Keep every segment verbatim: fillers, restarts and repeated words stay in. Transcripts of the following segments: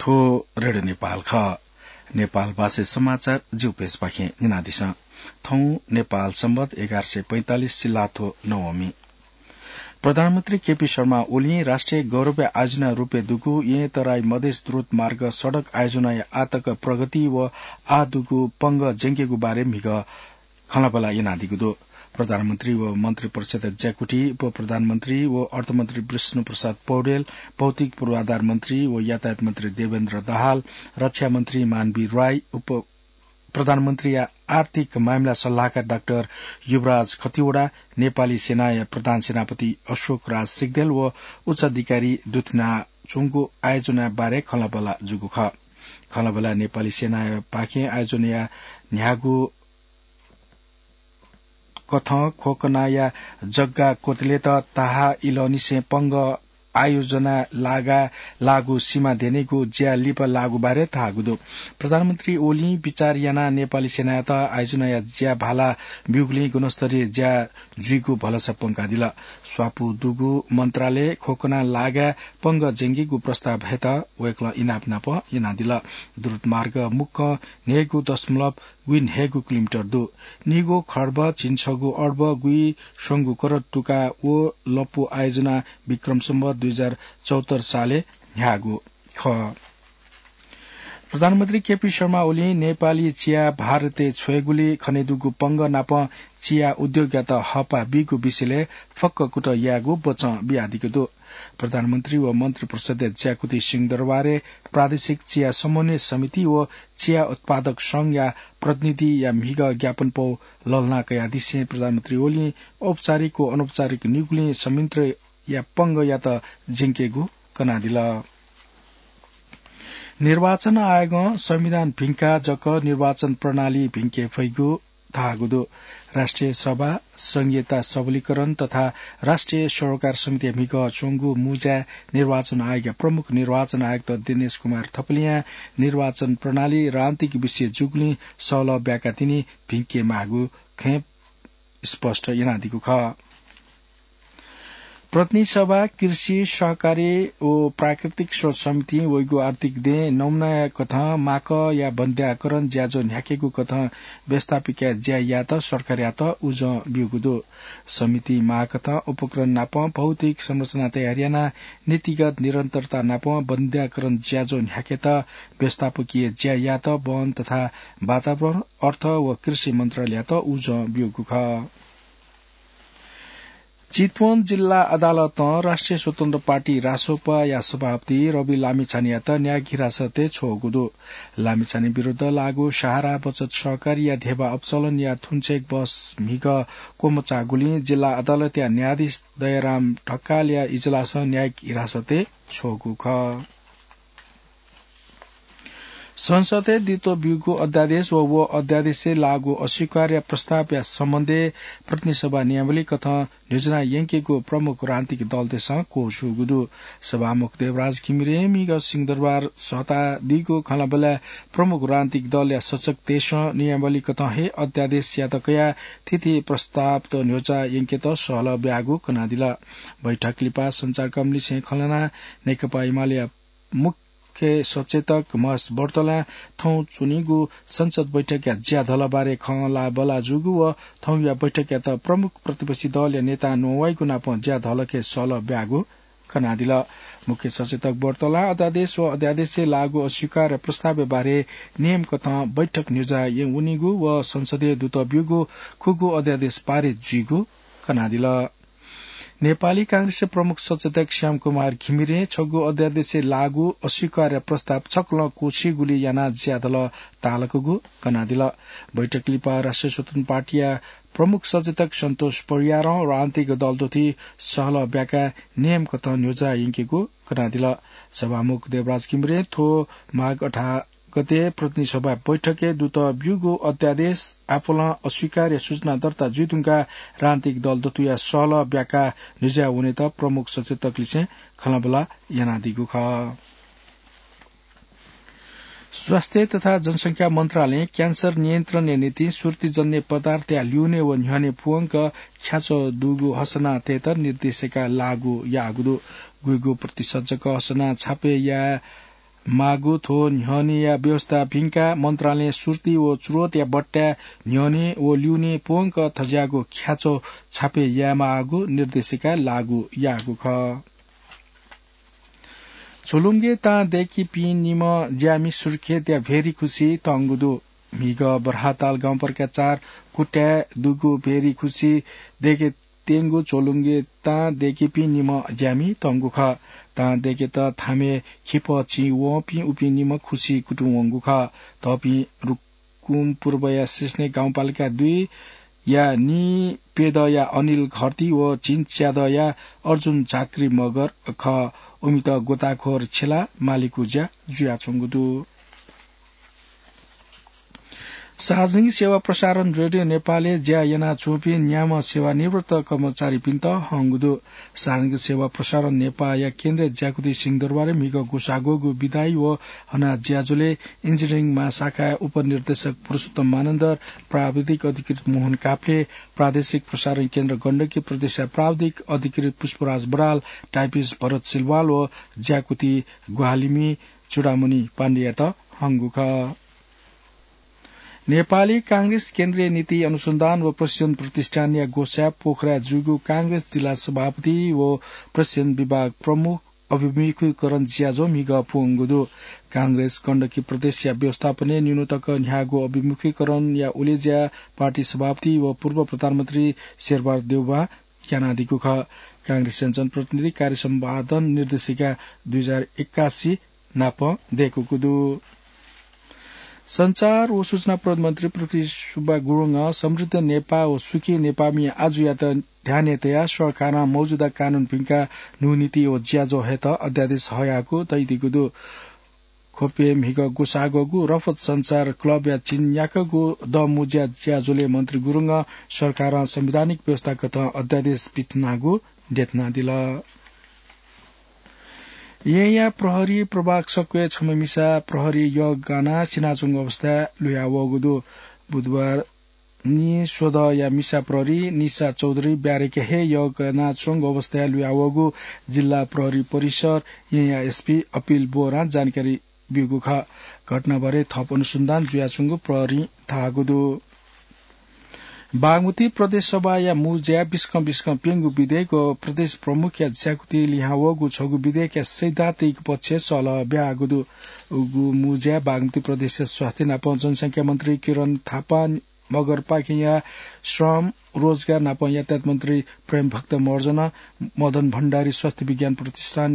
को रेडियो नेपाल खः। नेपाल भाषा समाचार जिउ पेजपाखें न्यनादिसँ। थौं नेपाल संवत एघार सय पैंतालिस सिल्लाथ्व नवमी। प्रधानमन्त्री केपी शर्मा ओलीं राष्ट्रिय गौरवया आयोजना रूपय् दुगु येँ तराई मधेस द्रुत मार्ग सडक आयोजनाया आःतक प्रगति व आः दुगु पंगः ज्यंकेगु बारे म्हिगः खँल्हाबल्हा यानादीगु दु। प्रधानमन्त्री व मन्त्री परिषद्या ज्याकुथि, उपप्रधानमन्त्री व अर्थमन्त्री विष्णु प्रसाद पौडेल, भौतिक पूर्वाधार मन्त्री व यातायात मन्त्री देवेन्द्र दाहाल, रक्षा मन्त्री मानवीर राई, उप प्रधानमन्त्रीया आर्थिक मामिला सल्लाहकार डाक्टर युवराज खतिवडा, नेपाली सेनाया प्रधान सेनापति अशोक राज सिग्देल व उच्चाधिकारी दुथ्यानाच्वंगु आयोजना बारे खँल्हाबल्हा जूगु खः। खँल्हाबल्हा नेपाली सेनाया पाखें आयोजनाया न्ह्यागु कथं खोकनाया जग्गा क्वतलेत ताहा इलंनिसें पंगः आयोजना लागा लाःगु सिमा द्यनेगु ज्या लिपा लाःगु बारे धाःगु दु। प्रधानमन्त्री ओलीं विचार यानाः नेपाली सेनायात आयोजनाया ज्या भाला ब्यूगुलिं गुणस्तरीय ज्या जुइगु भलसा प्वंकादिल। स्वापू दुगु मन्त्रालय खोकना लागा पंगः ज्यंकेगु प्रस्ताव हयेत वय्कलं इनाप नाप यानादिल। द्रुत मार्ग मुक्कं न्हय्गू दशमलव गुइन्हय्गू किलोमिटर दु। निगू खर्ब झिंछगू अर्ब गुइस्वंगू करोड तुका व लँपु आयोजना विक्रम सम्वत दुई हजार चौहत्तर सालय् न्ह्याःगु खः। प्रधानमन्त्री केपी शर्मा ओलीं नेपाली चिया भारतय् छ्वयेगुली खनेदुगु पंगः नाप चिया उद्योगयात हःपाः बीगु विषयलय् फक्क कुतः यायेगु बचं बियादीगु दु। प्रधानमन्त्री व मन्त्री परिषद्या ज्याकुथि सिंहदरबारय् प्रादेशिक चिया समन्वय समिति व चिया उत्पादक संघया प्रतिनिधिया म्हिगः ज्ञापनपौ लःल्हाना कयादिसें प्रधानमन्त्री ओलीं औपचारिक व अनौपचारिक निगुलिं संयन्त्रया पंगःयात ज्यंकेगु कनादिल। निर्वाचन आयोगं संविधान भिंकाः जक निर्वाचन प्रणाली भिंके फइगु धाःगु दु। राष्ट्रिय सभा, संघीयता सबलीकरण तथा राष्ट्रिय सरोकार समितिया म्हिगः च्वंगु मुँज्याय् निर्वाचन आयोगया प्रमुख निर्वाचन आयुक्त दिनेश कुमार थपलियां निर्वाचन प्रणाली राजनीतिक विषय जूगुलिं सहलह ब्याका तिनि भिंके माःगु खँय् स्पष्ट यानादीगु खः। प्रतिनिधि सभा, कृषि, सहकारी व प्राकृतिक स्रोत समितिं वइगु आर्थिक दँय् नमुनाया कथं माकःया बन्द्याकरण ज्याझ्वः न्ह्याकेगु कथं व्यवस्थापकीय ज्या यायेत सरकारयात उजं ब्यूगु दु। समितिं माःकथं उपकरण नाप भौतिक संरचना तयार यानाः नीतिगत निरन्तरता नाप बन्द्याकरण ज्याझ्वः न्ह्याकेत व्यवस्थापकीय ज्या यायेत वन तथा वातावरण, अर्थ व कृषि मन्त्रालययात उजं ब्यूगु खः। चितवन जिल्ला अदालतं राष्ट्रिय स्वतन्त्र पार्टी रासोपाया सभापति रवि लामिछानेयात न्यायिक हिरासतय् छ्वःगु दु। लामिछाने विरुद्ध लाःगु सहारा बचत सहकारीया धेबा अपचलनया थुन्चेक बहस म्हिगः क्वमचाःगुलिं जिल्ला अदालतया न्यायाधीश दयाराम ढकालया इजलासं न्यायिक हिरासतय् छ्वःगु खः। संसदय् दुत ब्यूगु अध्यादेश व व अध्यादेशय् लाःगु अस्वीकारया प्रस्तावया सम्बन्धय् प्रतिनिधि सभा नियमावली कथं न्ह्यज्याना यंकेगु प्रमुख राजनीतिक दलतय्सं क्वछूगु दु। सभामुख देवराज घिमिरें म्हिगः सिंहदरबार सःतादीगु खँल्हाबल्हाय् प्रमुख राजनीतिक दलया सचेतकतय्सं नियमावली कथं हे अध्यादेशयात कयाः थीथी प्रस्तावत न्ह्यज्याना यंकेत सहलह ब्याःगु कनादिल। बैठक लिपा सञ्चारकर्मीलिसें खँ ल्हानाः नेकपा एमालेया मुख्य सचेतक महेश बर्तलां थौं च्वनीगु संसद बैठकया ज्याधलबारे खँल्हाबल्हा जूगु व थौंया बैठकयात प्रमुख प्रतिपक्षी दलया नेतां न्ववाइगु नाप ज्याधलखे सहलह ब्याःगु कनादिल। मुख्य सचेतक बर्तलां अध्यादेश व अध्यादेशय् लाःगु अस्वीकार प्रस्तावया बारे नियम कथं बैठक न्ह्यज्याना वनीगु व संसदय् दुत ब्यूगु खुगू अध्यादेश पारित जुइगु कनादिल। नेपाली कांग्रेसया प्रमुख सचेतक श्यामकुमार घिमिरें छगू अध्यादेशय् लाःगु अस्वीकार प्रस्ताव छकलं क्वछीगुली यानाः ज्याधलः तालकूगु कनादिल। बैठक लिपा राष्ट्रिय स्वतन्त्र पार्टीया प्रमुख सचेतक सन्तोष परियारं राजनीतिक दल दथुइ सहलह ब्याकाः नियम कथं न्ह्यज्याना यंकेगु कनादिल। सभामुख देवराज घिमिरें थ्व माघ अठार गते प्रतिनिधि सभा बैठकय् दुत ब्यूगु अध्यादेश आपालं अस्वीकारया सूचना दर्ता जुइधुंकाः राजनीतिक दल दथुया सहलह ब्याकाः न्ह्यज्याना वनेत प्रमुख सचेतकलिसें खँल्हाबल्हा यानादीगु खः। स्वास्थ्य तथा जनसंख्या मन्त्रालयं क्यान्सर नियन्त्रणया निंतिं सुर्तीजन्य पदार्थया ल्यूने व न्ह्यःने पूवंक ख्याच्वः दुगु हसना तयेत निर्देशिका लागू याःगु दु। गुइगु प्रतिशत जक हसना छापे याये माःगु थ्व न्ह्यःनेया व्यवस्था भिंकाः मन्त्रालयं सुर्ती व च्रोतया बट्टाय् न्ह्यःने व ल्यूने प्वंक थज्याःगु ख्याच्वः छापे यायेमाःगु निर्देशिका लागू याःगु खः। झोलुंगे तां दय्‌कीपिं निम्ह ज्यामि सुर्खेतया भेरी खुसी तंगु दु। म्हिगः बर्हाताल गाउँपालिका चार कुट्याय् दुगु भेरी खुसी दय्‌के त्यंगु झोलुंगे तां दय्‌कीपिं निम्ह ज्यामि तंगु खः। तां दय्‌केत थामय् खिपः चिं वंपिं उपिं निम्ह खुसी कुतुं वंगु खः। थःपिं रुकुम पूर्वया सिस्ने गाउँपालिका दुई या नीप्यदँया अनिल घरती व झिंच्यादँया अर्जुन झाँक्री मगर खः। उमित गोताखोर छ्यलाः मालीगु ज्या जुयाच्वंगु दु। सार्वजनिक सेवा प्रसारण रेडियो नेपालय् ज्या यानाच्वंपिं न्याम्ह सेवानिवृत्त कर्मचारीपिन्त हंगु दु। सार्वजनिक सेवा प्रसारण नेपाःया केन्द्रीय ज्याकुथि सिंहदरबारय् म्हिगः ग्वसाः ग्वःगु बिदाइ व हनाः ज्याझ्वलय् इन्जिनियरिङ महाशाखाया उपनिर्देशक पुरुषोत्तम मानन्धर, प्राविधिक अधिकृत मोहन काफ्ले, प्रादेशिक प्रसारण केन्द्र गण्डकी प्रदेशया प्राविधिक अधिकृत पुष्पराज बराल, टाइपिस्ट भरत सिलवाल व ज्याकुथि ग्वाहालिमि चूडामणि पाण्डेयात हंगु खः। नेपाली कांग्रेस केन्द्रीय नीति अनुसन्धान व प्रशिक्षण प्रतिष्ठानया ग्वसाय् पोखराय् जूगु कांग्रेस जिल्ला सभापति व प्रशिक्षण विभाग प्रमुख अभिमुखीकरण ज्याझ्वः म्हिगः प्वंगु दु। कांग्रेस गण्डकी प्रदेशया व्यवस्थापनय् निन्हु तक न्ह्याःगु अभिमुखीकरणया उलेज्या पार्टी सभापति व पूर्व प्रधानमन्त्री शेरबहादुर देउवां यानादीगु खः। कांग्रेसया जनप्रतिनिधि कार्य सम्पादन निर्देशिका दुई हजार एकासी नाप दय्‌कूगु दु। सञ्चार व सूचना प्रविधि मन्त्री पृथ्वी सुब्बा गुरुङं समृद्ध नेपाः व सुखी नेपाःमि आजुयात ध्यानय् तयाः सरकारं मौजुदा कानून भिंकाः न्हू नीति व ज्याझ्वः हयेत अध्यादेश हयागु धयादीगु दु। ख्वपय् म्हिगः ग्वसाः ग्वःगु रफत सञ्चार क्लबया झिंन्याक्वःगु दँ मुँज्या ज्याझ्वलय् मन्त्री गुरुङं सरकारं संवैधानिक व्यवस्थाकथं अध्यादेश पिथनागु देछानादिल। येँया प्रहरी प्रभाग सक्वय् छम्ह मिसा प्रहरी यःगानाः सिनाच्वंगु अवस्थाय् लुयावःगु दु। बुधबार निस्वदँया मिसा प्रहरी निशा चौधरी ब्यारेकय् हे यःगानाच्वंगु अवस्थाय् लुयावःगु जिल्ला प्रहरी परिसर येँया एसपी अपिल बोहरां जानकारी ब्यूगु खः। घटनाबारे थप अनुसन्धान जुयाच्वंगु प्रहरीं धाःगु दु। बागमती प्रदेश सभाया मुँज्याय् बिस्कं बिस्कं प्यंगू विधेयक व प्रदेश प्रमुखया ज्याकुथि लिहां वःगु छगू विधेयकया सैद्धान्तिक पक्षय् सल्लाह ब्याःगु दु। उगु मुँज्याय् बागमती प्रदेशया स्वास्थ्य नाप जनसंख्या मन्त्री किरण थापा, मगरपाखेंया श्रम, रोजगार नाप यातायात मन्त्री प्रेमभक्त महर्जन, मदन भण्डारी स्वास्थ्य विज्ञान प्रतिष्ठान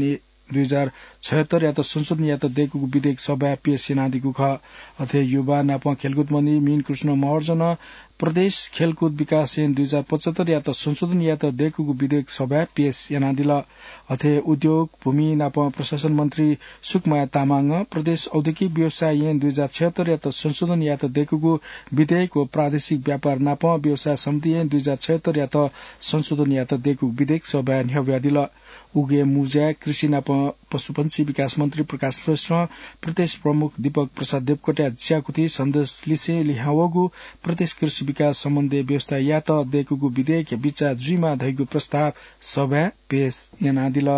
दुई हजार छयत्तरयात संशोधन यायेत दय्‌कूगु विधेयक सभाय् पेश यानादीगु खः। अथे युवा नाप खेलकुद मन्त्री मीनकृष्ण महर्जनं प्रदेश खेलकुद विकास ऐन दुई हजार पचहत्तरयात संशोधन यायेत दय्‌कूगु विधेयक सभाय् पेश यानादिल। अथे उद्योग, भूमि नाप प्रशासन मन्त्री सुकमाया तामाङं प्रदेश औद्योगिक व्यवसाय ऐन दुई हजार छयत्तरयात संशोधन यायेत दय्‌कूगु विधेयक व प्रादेशिक व्यापार नाप व्यवसाय सम्बन्धी ऐन दुई हजार छयत्तरयात संशोधन यायेत दय्‌कूगु विधेयक सभाय् न्ह्यब्वयादिल। उगु मुँज्याय् कृषि नाप पशुपन्छी विकास मन्त्री प्रकाश श्रेष्ठं प्रदेश प्रमुख दीपक प्रसाद देवकोटाया ज्याकुथि सन्देश लिसें लिहां वःगु प्रदेश कृषि विकास सम्बन्धी व्यवस्था यायेत दय्‌कूगु विधेयकया बिचाः जुइमाः धइगु प्रस्ताव सभाय् पेश यानादिल।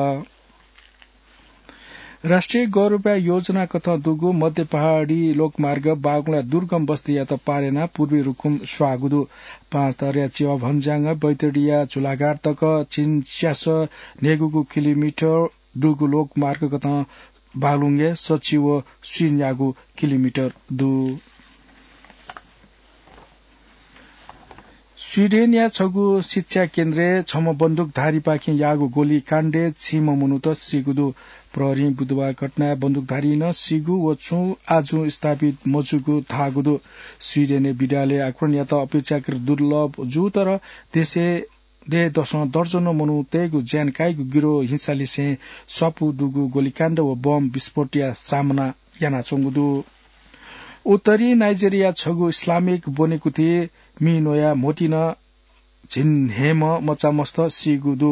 राष्ट्रिय गौरवया योजना कथं दुगु मध्य पहाडी लोकमार्ग बागलुङया दुर्गम बस्तीयात पार यानाः पूर्वी रुकुम स्वाःगु दु। पाँचथरया च्यवः भन्ज्याङं बैतडीया झुलाघाट तक झिंच्यासः न्हय्‌गूगु किलोमिटर दुगु लोकमार्ग कथं बागलुङय् सच्छि व स्वीन्यागू किलोमिटर दु। स्वीडेनया छगू शिक्षा केन्द्रय् छम्ह बन्दुकधारीपाखें याःगु गोलीकाण्डय् झिंम्ह मनूत सीगु दु। प्रहरीं बुधबार घटनाय् बन्दुकधारीं नं सीगु व छुं आजुं स्थापित मजूगु धाःगु दु। स्वीडेनय् विद्यालय आक्रमणयात अपेक्षाकृत दुर्लभ जू, तर देशय् दय्‌दसं दर्जनौं मनूतय्‌गु ज्यान काइगु गिरोह हिंसालिसें स्वापू दुगु गोलीकाण्ड व बम विस्फोटया सामना यानाच्वंगु दु। उत्तरी नाइजेरिया छगू इस्लामिक ब्वनेकुथि मिनोया म्होतिं झिंन्हय्‌म्ह मचामस्त सीगु दु।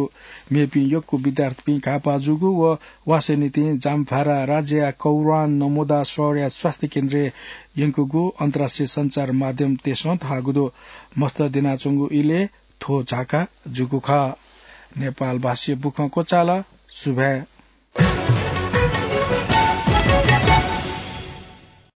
मेपिं यक्व विद्यार्थीपिं घाःपाः जूगु व वासः निंतिं जामफारा राज्यया कौरान नमोदा शहरया स्वास्थ्य केन्द्रय् यंकूगु अन्तर्राष्ट्रिय सञ्चार माध्यमतय्‌सं धाःगु दु। मस्त द्यनाच्वंगु इलय् थ्व झाका जूगु खः। नेपाल भाषाया बुखँ क्वचाल। सुभाय्।